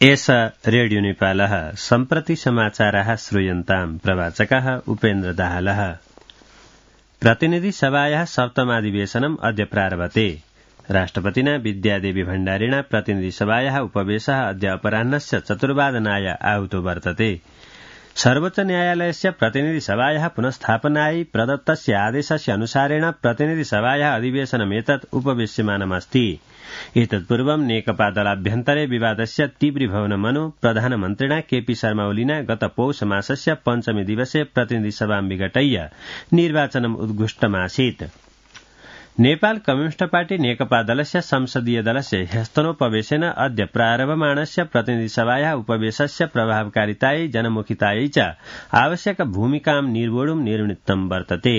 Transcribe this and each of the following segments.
एष रेडियो नेपालः सम्प्रति समाचाराः श्रूयन्ताम् प्रवाचकः उपेन्द्र दाहालः। प्रतिनिधि सभायाः सप्तमाधिवेशनम् अद्य प्रारभते। राष्ट्रपतिना विद्यादेवी भण्डारिणा प्रतिनिधि सभायाः उपवेशः अद्य अपराह्नस्य 4:15 आहूतो वर्तते। सर्वोच्च न्यायालयस्य प्रतिनिधि सभायाः पुनस्थापनायै प्रदत्तस्य आदेशस्य अनुसारेण प्रतिनिधि सभायाः अधिवेशनमेतत् उपवेश्यमानमस्ति। एतत्पूर्वं नेकपा दलाभ्यन्तरे विवादस्य तीव्रीभवनमनु प्रधानमन्त्रिणा केपी शर्मा ओलीना गत पौष मासस्य पञ्चमी दिवसे प्रतिनिधि सभां विघटय्य निर्वाचनम् उद्घुष्टमासीत्। नेपाल कम्युनिस्ट पार्टी नेकपा दलस्य संसदीय दलस्य ह्यस्तनोपवेशेन अद्य प्रारभमाणस्य प्रतिनिधि सभायाः उपवेशस्य प्रभावकारितायै जनमुखितायै च आवश्यक भूमिकां निर्वोढुं निर्णीतं वर्तते।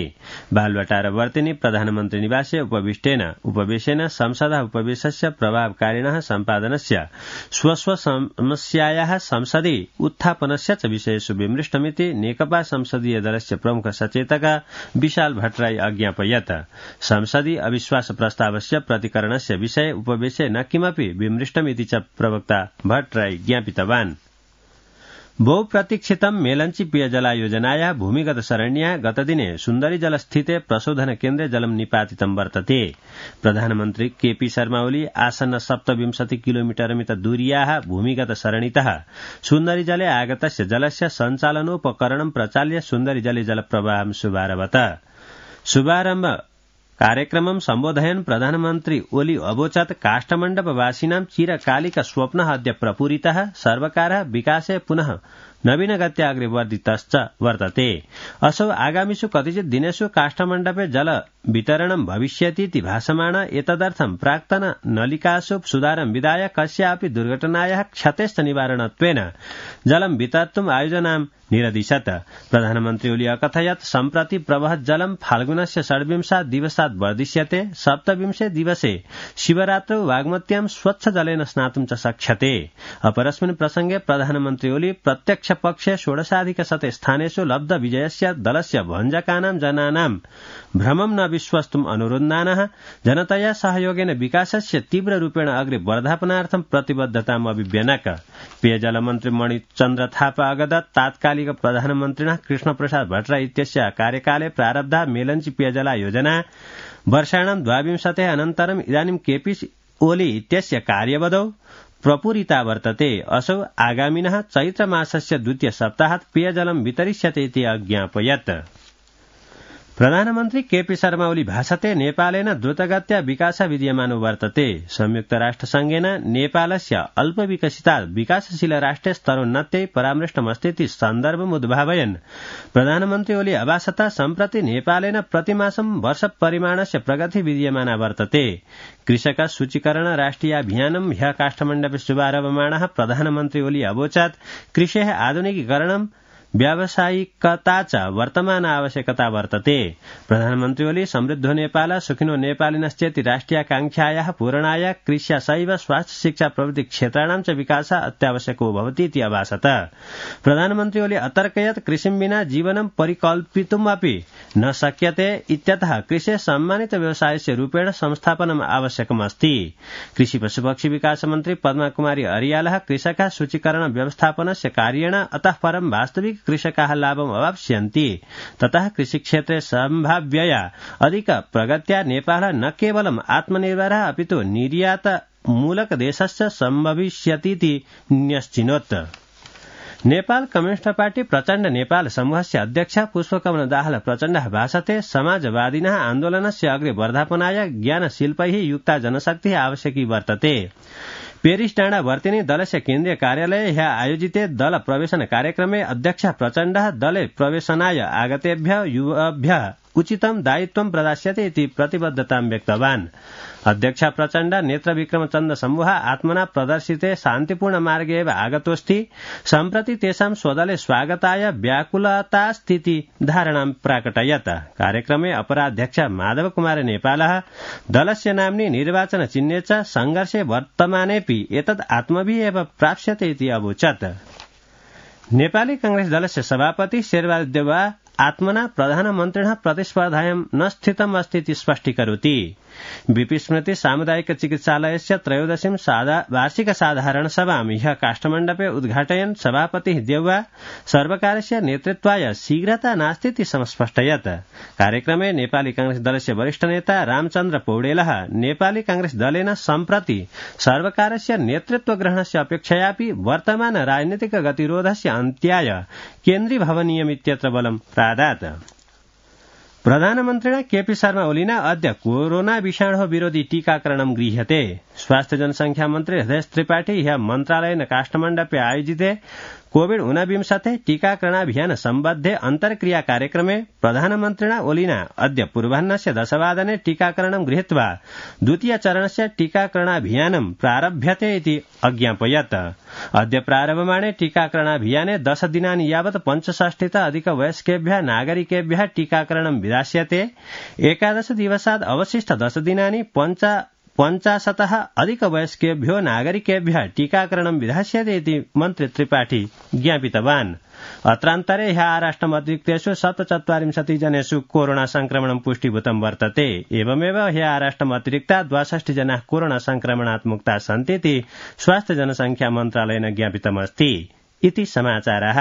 बालवाटारवर्तिनि प्रधानमन्त्री निवासे उपवेशेन संसदः उपवेशस्य प्रभावकारिणः सम्पादनस्य स्वस्व समस्यायाः संसदि उत्थापनस्य च विषयेषु विमृष्टमिति नेकपा संसदीय दलस्य प्रमुख सचेतक विशाल भट्टराई अज्ञापयत्। संसदि अविश्वास प्रस्तावस्य प्रतिकरणस्य विषये उपवेशे न किमपि विमृष्टमिति च प्रवक्ता भट्टराई ज्ञापितवान्। बहुप्रतीक्षितं मेलंची पेयजलायोजनायाः भूमिगत सरण्याः गतदिने सुन्दरी जलस्थिते प्रशोधन केन्द्रे जलं निपातितं वर्तते। प्रधानमन्त्री केपी शर्मा ओली आसन्न 27 किलोमीटरमित दूरीयाः भूमिगत सरणितः सुन्दरी जले आगतस्य जलस्य सञ्चालनोपकरणं प्रचाल्य सुन्दरी जले जलप्रवाहं शुभारभत। शुभारम्भ कार्यक्रमं सम्बोधयन् प्रधानमन्त्री ओली अवोचत् काष्ठमण्डपवासिनां चिरकालिक स्वप्नः अद्य प्रपूरितः। सर्वकारः विकासे पुनः नवीनगत्या अग्रे वर्धितश्च वर्तते। असौ आगामिषु कतिचित् दिनेषु काष्ठमण्डपे जल वितरणं भविष्यतीति भासमाण। एतदर्थं प्राक्तन नलिकासु सुधारं विधाय कस्यापि दुर्घटनायाः क्षतेश्च निवारणत्वेन जलं वितर्तुम् आयोजनां निरदिशत्। प्रधानमन्त्री ओली अकथयत् सम्प्रति प्रवहत् जलं फाल्गुनस्य 26 दिवसात् वर्धिष्यते। 27 दिवसे शिवरात्रौ वाग्मत्यां स्वच्छ जलेन स्नातुं च शक्यते। अपरस्मिन् प्रसंगे प्रधानमन्त्री ओली प्रत्यक्ष पक्षे 16 स्थानेषु लब्ध विजयस्य दलस्य भञ्जकानां जनानां भ्रमं न विश्वस्तुम् अनुरुन्धानः। जनतया सहयोगेन विकासस्य तीव्ररूपेण अग्रे वर्धापनार्थं प्रतिबद्धताम् अभिव्यनक। पेयजलमन्त्री मणिचन्द्र थापा अगदत् तात्कालिक प्रधानमन्त्रिणः कृष्णप्रसाद भट्टराई इत्यस्य कार्यकाले प्रारब्धा मेलंची पेयजला योजना वर्षाणां 22 अनन्तरम् इदानीं केपी ओली इत्यस्य कार्यवधौ प्रपूरिता वर्तते। असौ आगामिनः चैत्रमासस्य 2 सप्ताहात् पेयजलं वितरिष्यते इति अज्ञापयत्। प्रधानमन्त्री केपी शर्मा ओली भाषते नेपालेन द्रुतगत्या विकास विद्यमानो वर्तते। संयुक्त राष्ट्रसंघेन नेपालस्य अल्पविकसितात् विकासशील राष्ट्रे स्तरोन्नत्यै परामृष्टमस्तीति सन्दर्भमुद्भावयन् प्रधानमन्त्री ओली अभाषत सम्प्रति नेपालेन प्रतिमासं वर्षपरिमाणस्य प्रगति विद्यमाना वर्तते। कृषक सूचीकरण राष्ट्रियाभियानं ह्यः काष्ठमण्डपे शुभारभमाणः प्रधानमन्त्री ओली अवोचत् कृषेः आधुनिकीकरणं व्यावसायिकता च वर्तमान आवश्यकता वर्तते। प्रधानमन्त्री ओली समृद्धो नेपाल सुखिनो नेपालिनश्चेति राष्ट्रियाकांक्षायाः पूरणाय कृष्या सैव स्वास्थ्य शिक्षा प्रभृति क्षेत्राणां च विकासः अत्यावश्यको भवति इति अभाषत। प्रधानमन्त्री ओली अतर्कयत् कृषिं विना जीवनं परिकल्पितुमपि न शक्यते इत्यतः कृषेः सम्मानित व्यवसायस्य रूपेण संस्थापनम् आवश्यकमस्ति। कृषि पशुपक्षी विकास मन्त्री पद्मा कुमारी अरियालः कृषकाः सूचीकरण व्यवस्थापनस्य कार्येण अतः परं वास्तविक कृषकाः लाभम् अवाप्स्यन्ति। ततः कृषिक्षेत्रे सम्भाव्यया अधिक प्रगत्या नेपालः न केवलम् आत्मनिर्भरः अपितु निर्यातमूलक देशस्य सम्भविष्यतीति न्यश्चिनोत्। नेपाल कम्युनिस्ट पार्टी प्रचण्ड नेपाल समूहस्य अध्यक्ष पुष्पकमल दाहाल प्रचण्डः भाषते समाजवादिनः आन्दोलनस्य अग्रे वर्धापनाय ज्ञानशिल्पैः युक्ता जनशक्तिः आवश्यकी वर्तते। पेरिस डाँडा वर्तिनी दलस्य केन्द्रीय कार्यालये ह्यः आयोजिते दल प्रवेशन कार्यक्रमे अध्यक्ष प्रचण्डः दले प्रवेशनाय आगतेभ्यः युवभ्यः उचितं दायित्वं प्रदास्यते इति प्रतिबद्धतां व्यक्तवान्। अध्यक्ष प्रचण्ड नेत्रविक्रमचन्द्र समूह आत्मना प्रदर्शिते शान्तिपूर्ण मार्गे एव आगतोऽस्ति। सम्प्रति तेषां स्वदले स्वागताय व्याकुलतास्थिति धारणां प्राकटयत्। कार्यक्रमे अपराध्यक्ष माधव कुमार नेपालः दलस्य नाम्नि निर्वाचन चिह्ने च संघर्षे वर्तमानेऽपि एतद् आत्मभिः एव प्राप्स्यते इति अवोचत्। नेपाली कांग्रेस दलस्य सभापति शेरबहादुर देउवा आत्मना प्रधानमन्त्रिणः प्रतिस्पर्धायां न स्थितम् अस्ति इति स्पष्टीकरोति। बीपी स्मृति सामुदायिक चिकित्सालयस्य 13 वार्षिक साधारण सभां ह्यः काष्ठमण्डपे उद्घाटयन् सभापतिः देउवा सर्वकारस्य नेतृत्वाय शीघ्रता नास्तीति समस्पष्टयत्। कार्यक्रमे नेपाली कांग्रेस दलस्य वरिष्ठ नेता रामचन्द्र पौडेलः नेपाली कांग्रेस दलेन सम्प्रति सर्वकारस्य नेतृत्व ग्रहणस्य अपेक्षयापि वर्तमान राजनीतिक गतिरोधस्य अन्त्याय केन्द्रीभवनीयमित्यत्र बलं प्रादात्। प्रधानमन्त्रिणा केपी शर्मा ओलीना अद्य कोरोना विषाणु विरोधी टीकाकरणं गृह्यते। स्वास्थ्य जनसंख्या मन्त्री हृदय त्रिपाठी ह्यः मन्त्रालयेन काष्ठमण्डपे आयोजिते कोविड-19 टीकाकरणाभियान सम्बद्धे अन्तर्क्रिया कार्यक्रमे प्रधानमन्त्रिणा ओलीना अद्य पूर्वाह्नस्य 10 वादने टीकाकरणं गृहीत्वा द्वितीय चरणस्य टीकाकरणाभियानं प्रारभ्यते इति अज्ञापयत्। अद्य प्रारभमाणे टीकाकरणाभियाने 10 दिनानि यावत् 65 अधिक वयस्केभ्यः नागरिकेभ्यः टीकाकरणं विधास्यते। 11 दिवसात् अवशिष्ट 10 दिनानि 50 अधिक वयस्केभ्यो नागरिकेभ्यः टीकाकरणं विधास्यते इति मन्त्री त्रिपाठी ज्ञापितवान्। अत्रान्तरे ह्यः आराष्ट्रमतिरिक्तेषु 47 जनेषु कोरोना संक्रमणं पुष्टीभूतं वर्तते। एवमेव ह्यः आराष्ट्रमतिरिक्ता 62 जनाः कोरोना संक्रमणात् मुक्ताः सन्तीति स्वास्थ्य जनसंख्या मन्त्रालयेन ज्ञापितमस्ति। इति समाचाराः।